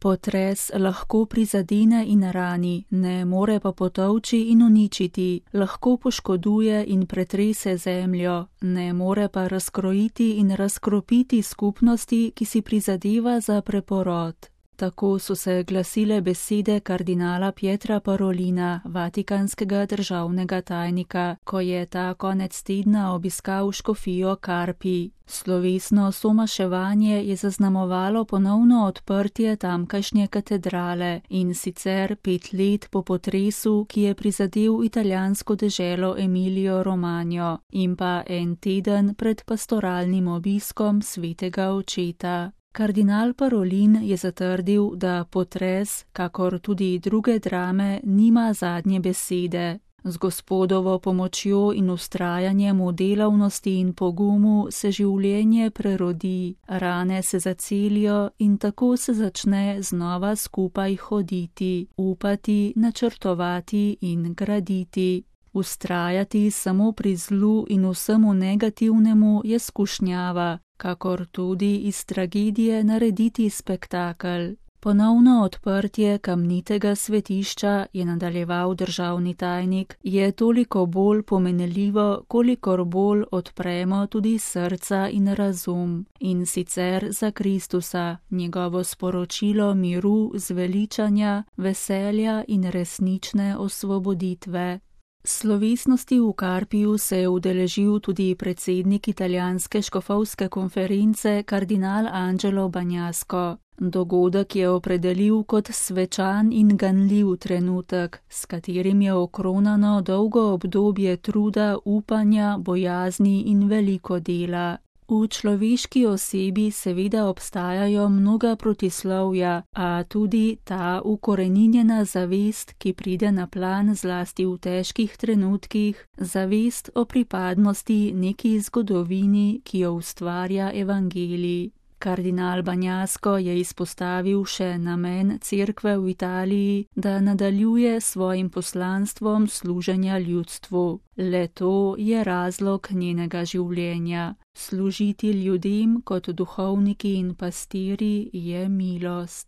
Potres lahko prizadene in rani, ne more pa potolči in uničiti, lahko poškoduje in pretrese zemljo, ne more pa razkrojiti in razkropiti skupnosti, ki si prizadeva za preporod. Tako so se glasile besede kardinala Pietra Parolina, vatikanskega državnega tajnika, ko je ta konec tedna obiskal škofijo Carpi. Slovesno somaševanje je zaznamovalo ponovno odprtje tamkajšnje katedrale, in sicer 5 let po potresu, ki je prizadel italijansko deželo Emilio Romagno, in pa en teden pred pastoralnim obiskom svetega očeta. Kardinal Parolin je zatrdil, da potres, kakor tudi druge drame, nima zadnje besede. Z Gospodovo pomočjo in vztrajanjem v delavnosti in pogumu se življenje prerodi, rane se zacelijo in tako se začne znova skupaj hoditi, upati, načrtovati in graditi. Vztrajati samo pri zlu in vsemu negativnemu je skušnjava, kakor tudi iz tragedije narediti spektakel. Ponovno odprtje kamnitega svetišča, je nadaljeval državni tajnik, je toliko bolj pomenljivo, kolikor bolj odpremo tudi srca in razum, in sicer za Kristusa, njegovo sporočilo miru, zveličanja, veselja in resnične osvoboditve. Slovesnosti v Carpiju se je udeležil tudi predsednik italijanske škofovske konference kardinal Angelo Bagnasco. Dogodek je opredelil kot svečan in ganljiv trenutek, s katerim je okronano dolgo obdobje truda, upanja, bojazni in veliko dela. V človeški osebi seveda obstajajo mnoga protislovja, a tudi ta ukoreninjena zavest, ki pride na plan zlasti v težkih trenutkih, zavest o pripadnosti neki zgodovini, ki jo ustvarja evangelij. Kardinal Bagnasco je izpostavil še namen cerkve v Italiji, da nadaljuje svojim poslanstvom služenja ljudstvu. Le to je razlog njenega življenja. Služiti ljudem kot duhovniki in pastirji je milost.